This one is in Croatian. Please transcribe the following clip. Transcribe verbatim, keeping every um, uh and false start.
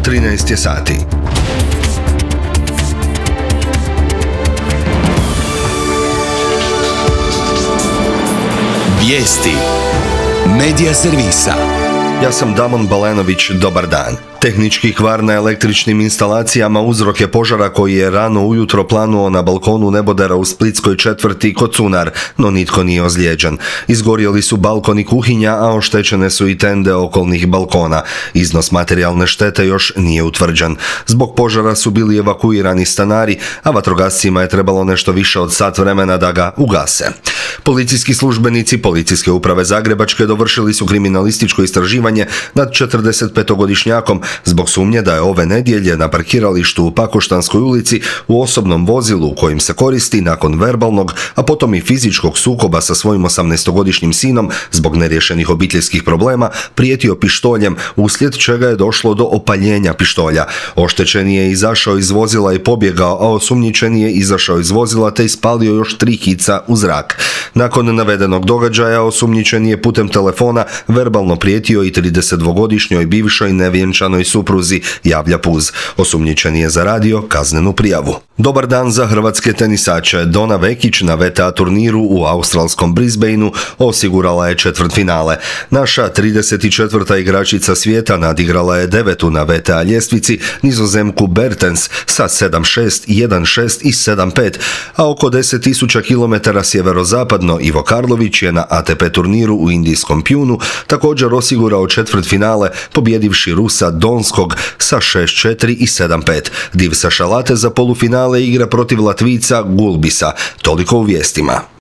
trinaest je sati. Vijesti Medija servisa. Ja sam Damon Balenović, dobar dan. Tehnički kvar na električnim instalacijama uzrok je požara koji je rano ujutro planuo na balkonu nebodera u splitskoj četvrti Kocunar, no nitko nije ozlijeđen. Izgorjeli su balkon i kuhinja, a oštećene su i tende okolnih balkona. Iznos materijalne štete još nije utvrđen. Zbog požara su bili evakuirani stanari, a vatrogascima je trebalo nešto više od sat vremena da ga ugase. Policijski službenici Policijske uprave Zagrebačke dovršili su kriminalističko istraživanje nad četrdesetpetogodišnjakom zbog sumnje da je ove nedjelje na parkiralištu u Pakoštanskoj ulici u osobnom vozilu u kojim se koristi nakon verbalnog, a potom i fizičkog sukoba sa svojim osamnaestogodišnjim sinom zbog neriješenih obiteljskih problema prijetio pištoljem, uslijed čega je došlo do opaljenja pištolja. Oštećeni je izašao iz vozila i pobjegao, a osumnjičeni je izašao iz vozila te ispalio još tri hica u zrak. Nakon navedenog događaja osumnjičeni je putem telefona verbalno prijetio i tridesetdvogodišnjoj bivšoj nevjenčanoj supruzi, javlja Puz. Osumnjičeni je zaradio kaznenu prijavu. Dobar dan za hrvatske tenisače. Dona Vekić na V T A turniru u australskom Brisbaneu osigurala je četvrtfinale. Naša trideset četvrta igračica svijeta nadigrala je devetu na V T A ljestvici Nizozemku Bertens sa sedam šest, jedan šest i sedam pet, a oko deset tisuća kilometara sjeverozapadno Ivo Karlović je na A T P turniru u indijskom Pjunu također osigurao četvrtfinale pobjedivši Rusa Donskog sa šest četiri i sedam pet. Div sa Šalate za polufinale igra protiv Latvijca Gulbisa. Toliko u vijestima.